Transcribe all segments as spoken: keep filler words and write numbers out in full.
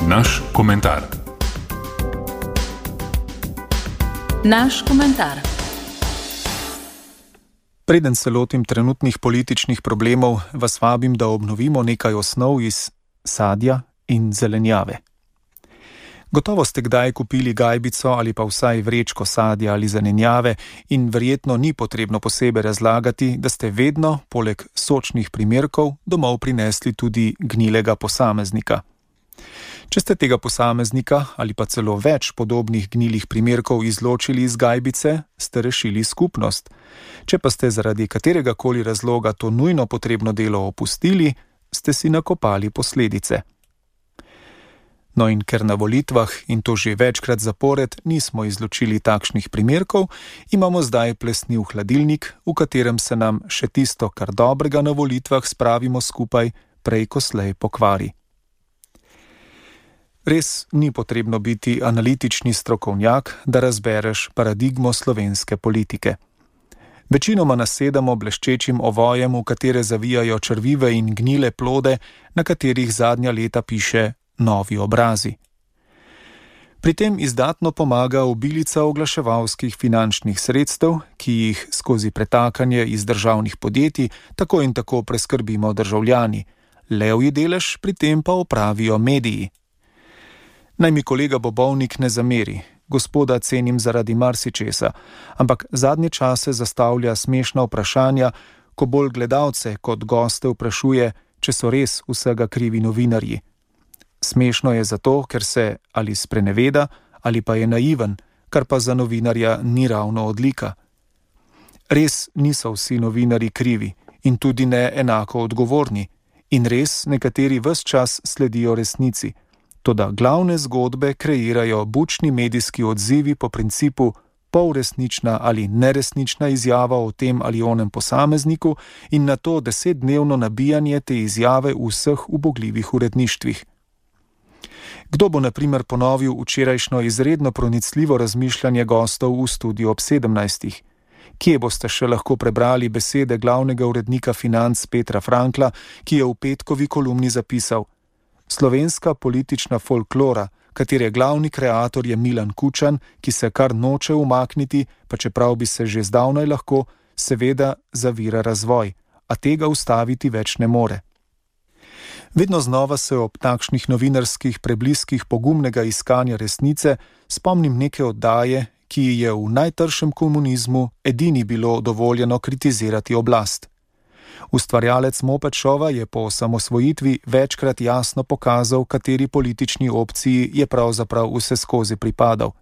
Naš komentar. Naš komentar. Preden se lotim trenutnih političnih problemov, vas vabim, da obnovimo nekaj osnov iz sadja in zelenjave. Gotovo ste kdaj kupili gajbico ali pa vsaj vrečko sadja ali zelenjave in verjetno ni potrebno posebej razlagati, da ste vedno, poleg sočnih primerkov, domov prinesli tudi gnilega posameznika. Če ste tega posameznika ali pa celo več podobnih gnilih primerkov izločili iz gajbice, ste rešili skupnost. Če pa ste zaradi katerega koli razloga to nujno potrebno delo opustili, ste si nakopali posledice. No in ker na volitvah, in to že večkrat zapored, nismo izločili takšnih primerkov, imamo zdaj plesniv hladilnik, v katerem se nam še tisto, kar dobrega na volitvah spravimo skupaj, prej ko slej pokvari. Res ni potrebno biti analitični strokovnjak, da razbereš paradigmo slovenske politike. Večinoma nasedamo bleščečim ovojem, v katere zavijajo črvive in gnile plode, na katerih zadnja leta piše novi obrazi. Pri tem izdatno pomaga obilica oglaševalskih finančnih sredstev, ki jih skozi pretakanje iz državnih podjetij tako in tako preskrbimo državljani. Levji delež pri tem pa opravijo mediji. Naj mi kolega Bobovnik ne zameri, gospoda cenim zaradi marsičesa, ampak zadnje čase zastavlja smešna vprašanja, ko bolj gledalce kot goste vprašuje, če so res vsega krivi novinarji. Smešno je zato, ker se ali spreneveda ali pa je naiven, kar pa za novinarja ni ravno odlika. Res niso vsi novinarji krivi in tudi ne enako odgovorni in res nekateri ves čas sledijo resnici. Toda glavne zgodbe kreirajo bučni medijski odzivi po principu polresnična ali neresnična izjava o tem ali onem posamezniku in na to desetdnevno nabijanje te izjave v vseh ubogljivih uredništvih. Kdo bo na primer ponovil včerajšnjo izredno pronicljivo razmišljanje gostov v studiu ob sedemnajstih? Kje boste še lahko prebrali besede glavnega urednika Financ Petra Frankla, ki je v petkovi kolumni zapisal: slovenska politična folklora, katere glavni kreator je Milan Kučan, ki se kar noče umakniti, pa čeprav bi se že zdavnaj lahko, seveda zavira razvoj, a tega ustaviti več ne more. Vedno znova se ob takšnih novinarskih prebliskih pogumnega iskanja resnice spomnim neke oddaje, ki je v najtršem komunizmu edini bilo dovoljeno kritizirati oblast. Ustvarjalec Moped Shova je po osamosvojitvi večkrat jasno pokazal, kateri politični opciji je pravzaprav vseskozi pripadal.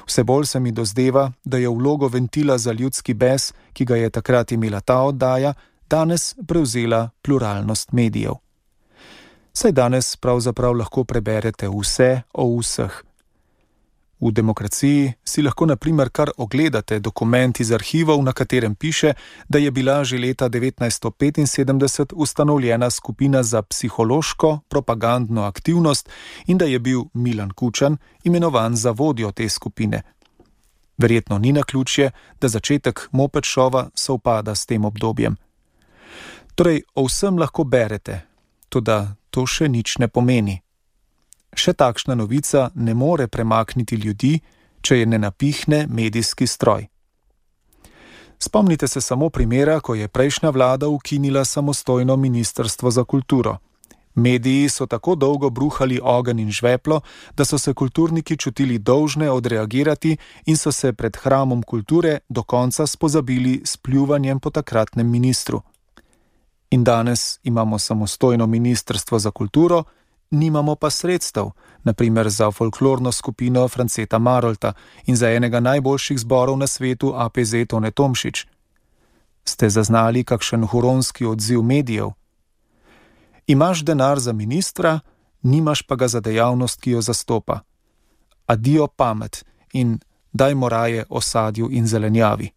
Vse bolj se mi dozdeva, da je vlogo ventila za ljudski bes, ki ga je takrat imela ta oddaja, danes prevzela pluralnost medijev. Saj danes pravzaprav lahko preberete vse o vseh. V demokraciji si lahko na primer kar ogledate dokument iz arhivov, na katerem piše, da je bila že leta devetnajststo petinsedemdeset ustanovljena skupina za psihološko propagandno aktivnost in da je bil Milan Kučan imenovan za vodjo te skupine. Verjetno ni naključje, da začetek Moped Shova sovpada s tem obdobjem. Torej, o vsem lahko berete, toda to še nič ne pomeni. Še takšna novica ne more premakniti ljudi, če je ne napihne medijski stroj. Spomnite se samo primera, ko je prejšnja vlada ukinila samostojno ministrstvo za kulturo. Mediji so tako dolgo bruhali ogenj in žveplo, da so se kulturniki čutili dolžne odreagirati in so se pred hramom kulture do konca spozabili s pljuvanjem po takratnem ministru. In danes imamo samostojno ministrstvo za kulturo, nimamo pa sredstev, na primer za folklorno skupino Franceta Marolta in za enega najboljših zborov na svetu A P Z Tone Tomšič. Ste zaznali kakšen huronski odziv medijev? Imaš denar za ministra, nimaš pa ga za dejavnost, ki jo zastopa. Adijo pamet in dajmo raje o sadju in zelenjavi.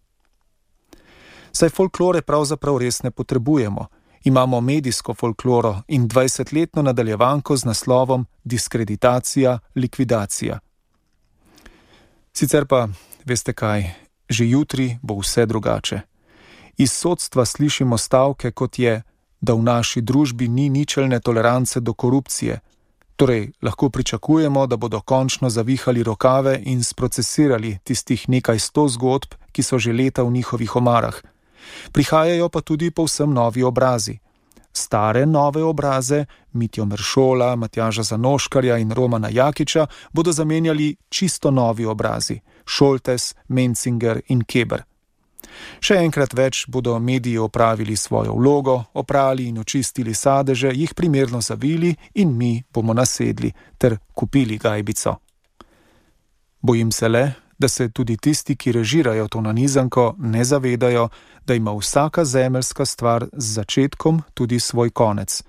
Saj folklore pravzaprav res ne potrebujemo. Imamo medijsko folkloro in dvajsetletno nadaljevanko z naslovom Diskreditacija, likvidacija. Sicer pa, veste kaj, že jutri bo vse drugače. Iz sodstva slišimo stavke, kot je, da v naši družbi ni ničelne tolerance do korupcije, Torej, lahko pričakujemo, da bodo končno zavihali rokave in sprocesirali tistih nekaj sto zgodb, ki so že leta v njihovih omarah. Prihajajo pa tudi povsem novi obrazi. Stare nove obraze, Mitjo Meršola, Matjaža Zanoškarja in Romana Jakiča, bodo zamenjali čisto novi obrazi, Šoltes, Mencinger in Keber. Še enkrat več bodo mediji opravili svojo vlogo, oprali in očistili sadeže, jih primerno zavili in mi bomo nasedli ter kupili gajbico. Bojim se le, da se tudi tisti, ki režirajo to nanizanko, ne zavedajo, da ima vsaka zemeljska stvar z začetkom tudi svoj konec,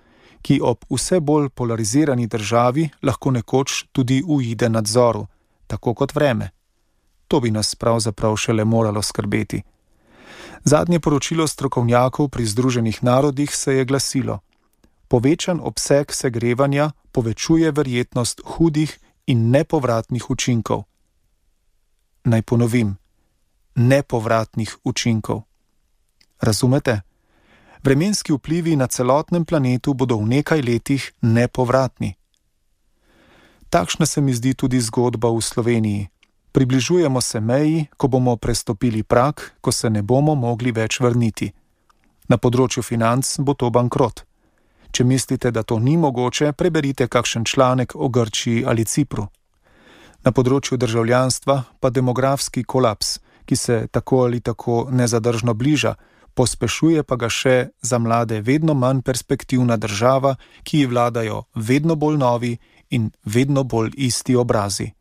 ki ob vse bolj polarizirani državi lahko nekoč tudi uide nadzoru, tako kot vreme. To bi nas pravzaprav šele moralo skrbeti. Zadnje poročilo strokovnjakov pri Združenih narodih se je glasilo: povečan obseg segrevanja povečuje verjetnost hudih in nepovratnih učinkov. Naj ponovim, nepovratnih učinkov. Razumete? Vremenski vplivi na celotnem planetu bodo v nekaj letih nepovratni. Takšna se mi zdi tudi zgodba v Sloveniji. Približujemo se meji, ko bomo prestopili prag, ko se ne bomo mogli več vrniti. Na področju financ bo to bankrot. Če mislite, da to ni mogoče, preberite kakšen članek o Grčiji ali Cipru. Na področju državljanstva pa demografski kolaps, ki se tako ali tako nezadržno bliža, pospešuje pa ga še za mlade vedno manj perspektivna država, ki ji vladajo vedno bolj novi in vedno bolj isti obrazi.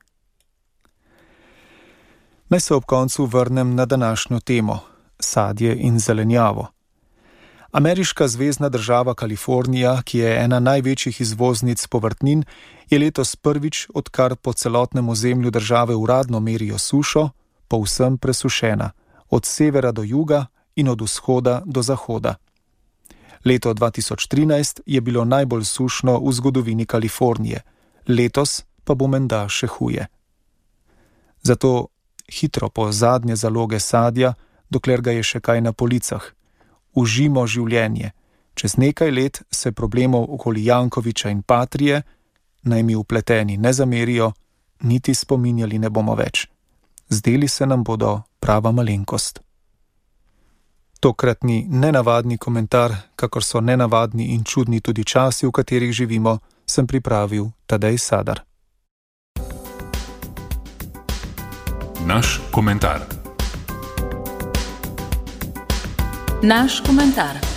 Naj se ob koncu vrnem na današnjo temo, sadje in zelenjavo. Ameriška zvezna država Kalifornija, ki je ena največjih izvoznic povrtnin, je letos prvič, odkar po celotnem ozemlju države uradno merijo sušo, povsem presušena, od severa do juga in od vzhoda do zahoda. Leto dva tisoč trinajst je bilo najbolj sušno v zgodovini Kalifornije, letos pa bo menda še huje. Zato hitro po zadnje zaloge sadja, dokler ga je še kaj na policah. Užimo življenje. Čez nekaj let se problemov okoli Jankoviča in Patrije, naj mi vpleteni ne zamerijo, niti spominjali ne bomo več. Zdeli se nam bodo prava malenkost. Tokratni nenavadni komentar, kakor so nenavadni in čudni tudi časi, v katerih živimo, sem pripravil Tadej Sadar. Naš komentar. Naš komentar.